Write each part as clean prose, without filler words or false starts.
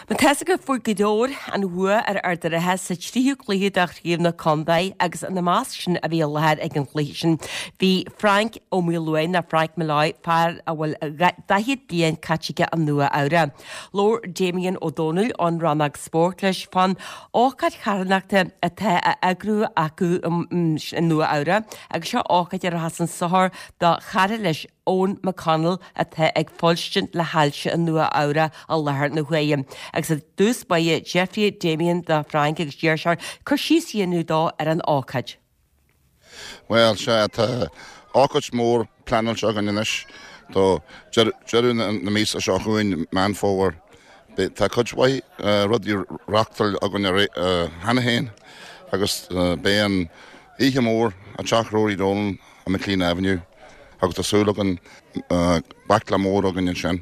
Má tá 'fhios agaibh fuair Gaoth Dobhair an bhua ar Ard an Rátha sa tríú cluiche de Chraobh na Contae agus ina measc sin a bhí i láthair ag an chluiche sin bhí Frank Ó Maoileoin nó Frank Molloy, fear a bhfuil 40 bliain caite aige i Nua Eabhrac. Labhair Damien Ó Dónaill ón rannóg spóirt leis fán ócáid charthanachta atá á eagrú acu i Nua Eabhrac agus seo ócáid a rachas chun sochair do chara leis Eoin McConnell atá ag fuilstint le hailse i Nua Eabhrac i láthair na huaire. Agus i dtús báire d'fhiafraigh Damien de Frank agus d'iarr sé air cur síos a dhéanamh dó ar an ócáid. Bhuel, sea, tá ócáid mhór pleanáilte againn anois do deireadh na míosa seo chugainn, Meán Fómhair. Tá cuid mhaith rudaí reáchtáilte againn cheana féin agus beidh an oíche mhór i dteach Rory Dolan ar McLean Avenue agus tá súil againn baicle mór againn ansin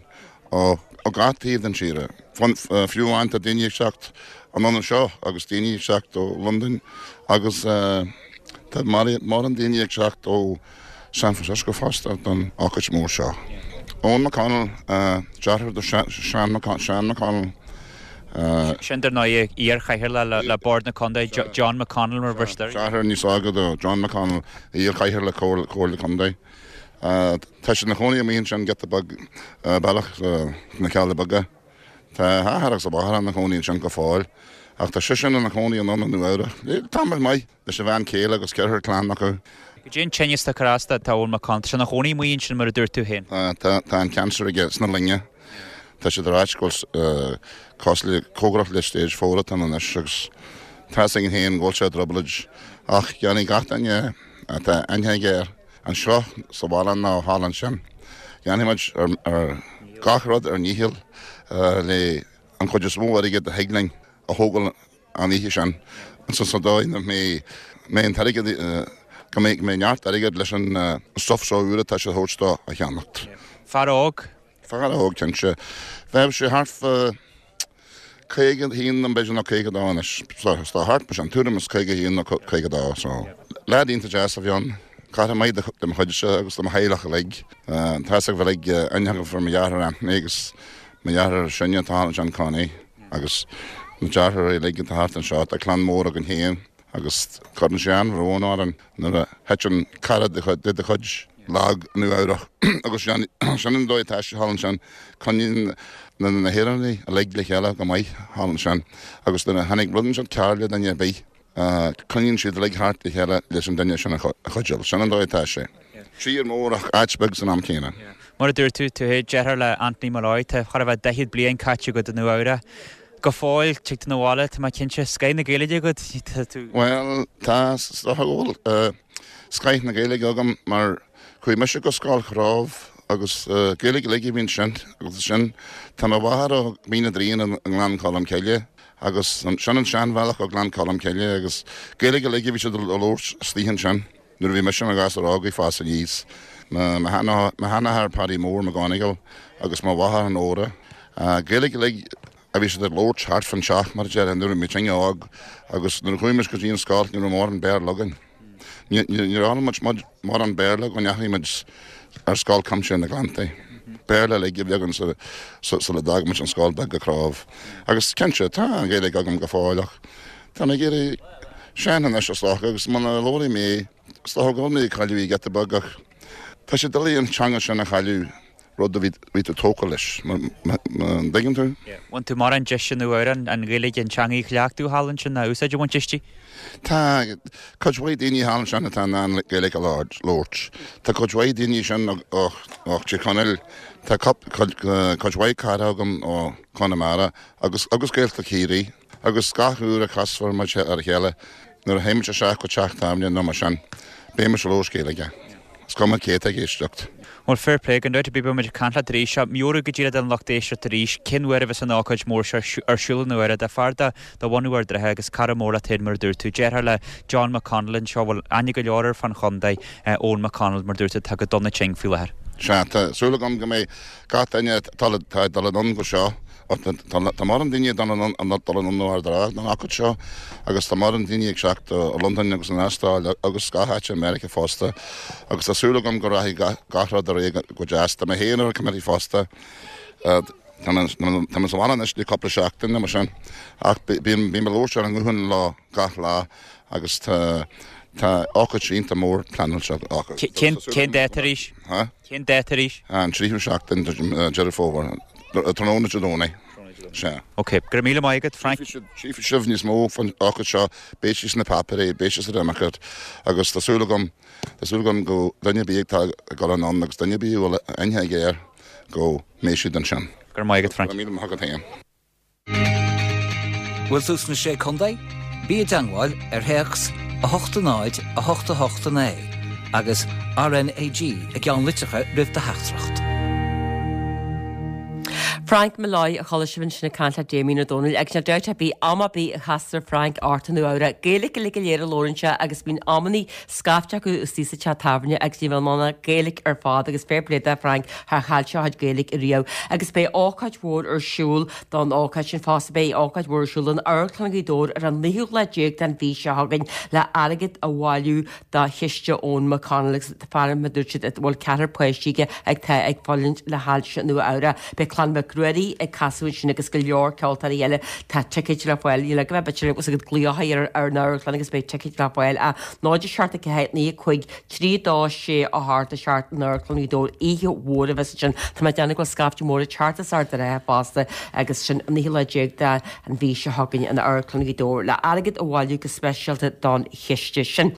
ó gach taobh den tír. Fiú amháin tá daoine ag teacht anonn anseo agus daoine ag teacht ó Londain agus tá mórán daoine ag teacht ó San Francisco fosta don ócáid mór seo. Eoin McConnell, deartháir do Seán McConnell. Sin dar ndóigh iar-chathaoirleach le Bord na Contae, John McConnell mar a bheirtear air. Deartháir níos óige do John McConnell, iar-chathaoirleach Comhairle Contae. Tá sé ina chónaí amuigh ansin giota beag bealach sna Cealla Beaga. Tá a athair agus a mháthair ina chónaí ansin go fóill ach tá seisean ina chónaí anonn i Nua Eabhrac le tamall maith. Leis a bhean chéile agus ceathrar clann acu. Goidé an tinneas atá ag cur as do Eoin McConnell. Tá sé ina chónaí amuigh ansin mar a dúirt tú féin. Tá, tá an cancer aige sna loinge. Tá siad ag ráit go bhfuil cosúil le, cóngarach le stage four atá ann anois agus tá 'fhios againn féin go bhfuil sé i dtrioblóid ach déanfaidh gach duine atá aithne aige air anseo sa bhaile nó thall ansin, déanfaidh muid ar gach rud ár ndícheall le an chuid is mó airgid a thig linn a thógáil an oíche sin sa dóigh nach mbeidh an t-airgead, go mbeidh neart airgid leis an stuff seo úr atá siad a thabhairt dó a cheannacht. Fear óg. Fear óg, cinnte. Bheadh sé thart fá 51 nó b'fhéidir nó 52 anois. So thart mar sin, tuairim is 51 nó 52. So leaid iontach deas a bhí ann. Cara maith de mo chuidse agus de mo theaghlach uilig. Tá 'fhios agaibh uilig aithne agaibh ar mo dheartháir Anthony agus mo dheartháir is sine atá ansin Connie. Agus na deartháirí uilig atá thart anseo, tá clann mór againn féin agus cuireann sé an-bhrón orainn nuair a thiteann cara de do chuid lag i Nua Eabhrach agus sin an dóigh atá sé thall ansin, coinníonn na hÉireannaigh uilig le chéile go maith thall ansin agus nuair a tháinig rud inteacht cearr le duine ar bith, Coinníonn siad uilig thart le chéile leis an duine sin a chuidiú. Sin an dóigh atá sé. Tír mór ach áit beag san am céanna. Mar a dúirt tú, tú féin, deartháir le Anthony Molloy, tá chóir a bheith 40 bliain caite agat i Nua Eabhrac. Go fóill, tig tú 'na bhaile, tá mé cinnte, scoith na Gaeilge agat, tá tú. Bhuel, tá, is dócha go bhfuil scoith na Gaeilge agam mar chuaigh mise go Scoil Chróibh agus Gaeilge uilig a bhí ansin agus ansin tá mo mháthair ó Mhín na dTrian i nGleann Cholm Cille Agus sin an seanbhealach ó Ghleann Cholm Cille agus Gaeilge uilig a bhí siad a labhairt istigh ansin nuair a bhí mise i mo ghasúr óg ag fás aníos. Mo sheanathair Paddy Mór McGonigle agus mo mháthair Nóra. Gaeilge uilig a bhí siad ag labhairt thart fán teach mar a déarfá nuair a bhí muidinne óg agus nuair a chuaigh muid go dtí an scoil ní raibh mórán Béarla againn. Níor fhoghlaim muid mórán Béarla go ndeachaigh muid ar Scoil Chuimsitheach na nGleannta. Béarla uilig a bhí againn sula d'fhág muid an scoil beag i Cróibh. Agus cinnte, tá an Ghaeilge agam go fóill ach tá mé ag éirí sean anois is dócha agus muna labhraím í, is dócha go bhfuil mé ag cailleadh í giota beag ach tá sé doiligh an teanga sin a chailleadh. rud a bhí tú tógtha leis, an dtuigeann tú? Bhain tú mórán deis i Nua Eabhrac an Ghaeilge, an teanga a chleachtadh thall ansin, nó úsáid a bhaint aisti? Tá cuid mhaith daoine thall ansin atá in ann Gaeilge a labhairt. Tá cuid mhaith daoine ansin ó Thír Chonaill, tá cuid mhaith cara agam ó Chonamara agus agus Gaeltacht Chiarraí. Agus gach uair a chasfar muid ar a chéile, nuair a théimid isteach go teach tábhairne nó mar sin, beidh muid ag labhairt Gaeilge. Is cuma cé atá ag éisteacht. Bhuel, fair play, gan dabht ar bith beidh muid ag caint leat arís. Ach meabhraigh go díreach don lucht éisteachta arís cén uair a bheas an ócáid mhór seo ar siúl i Nua Eabhrac do fear de de bhunadh Ard an Rátha agus cara mór leat féin mar a dúirt tú, deartháir le John McConnell anseo a bhfuil aithne go leor air fán chontae, Eoin McConnell mar a dúirt tú atá go dona tinn faoi láthair. Sea, tá súil agam go mbeidh gach duine atá ag dul anonn go seo Tá mórán daoine ag dul anonn ó Ard an Rátha don ócáid seo agus tá mórán daoine ag teacht ó Londain agus an Astráil agus gach áit i Meiriceá fosta agus tá súil agam go rachaidh gach rud ar aghaidh go deas. Tá mé féin ar an committee fosta. Tá mé sa bhaile anois le cúpla seachtain nó mar sin ach bím ag labhairt ar an nguthán leo gach lá agus tá tá ócáid iontach mór pleanáilte acu. Cén dáta arís? Cén dáta arís? An tríú seachtain de Deireadh Fómhair, tráthnóna Dé Domhnaigh. Sea. Ok, go raibh míle maith agat, Frank. Tchífidh sibh níos mó faoin ócáid seo, beidh sí sna páipéirí, beidh sí sa Democrat agus tá súil agam, tá súil agam go duine ar bith atá ag dul anonn agus duine ar bith a bhfuil aithne aige air go mbeidh siad ansin. Go raibh maith agat, Frank. Go raibh míle maith agat féin. Bhfuil tú sna Sé Contae? Bí i dteangmháil ar théacs 8 0 8 8 9 agus RnaG i gceannlitreacha roimh do theachtaireacht. Frank Molloy a chuala sibh ansin ag caint le Damien Ó Dónaill agus níl dabht ar bith am ar bith a chastar Frank ort i Nua Eabhrac. Gaeilge uilig go léir a labhrann sé agus bíonn amannaí scaifte acu istigh sa teach tábhairne agus ní bheadh ann ach Gaeilge ar fad agus fair play do Frank char chaill sé a chuid Gaeilge riamh agus beidh ócáid mhór ar siúl don ócáid sin fosta. Beidh ócáid mhór ar siúl in Amharclann Ghaoth Dobhair ar an naoú lá déag den mhí seo chugainn le airgead a bhailiú do chiste Eoin McConnell agus fear mar a dúirt siad a bhfuil ceathrar páistí aige atá ag fulaingt le hailse Nua Eabhrac. Beidh Clann Mhic Ruairí ag casadh ansin agus go leor ceoltóirí eile. Tá ticéid le fáil. Níl agam b'fhéidir bhfuil agat glaoch ar ar an amharclann agus beidh ticéid le fáil. 0 7 4 9 5 3 2 6 8 7 in Amharclann Ghaoth Dobhair oíche mhór a bheas ansin. Tá mé ag déanamh go bhfuil scaifte mór ag teacht as Ard an Rátha fosta agus sin an naoú lá déag den mhí seo chugainn in Amharclann Ghaoth Dobhair le airgead a bhailiú go speisialta don chiste sin.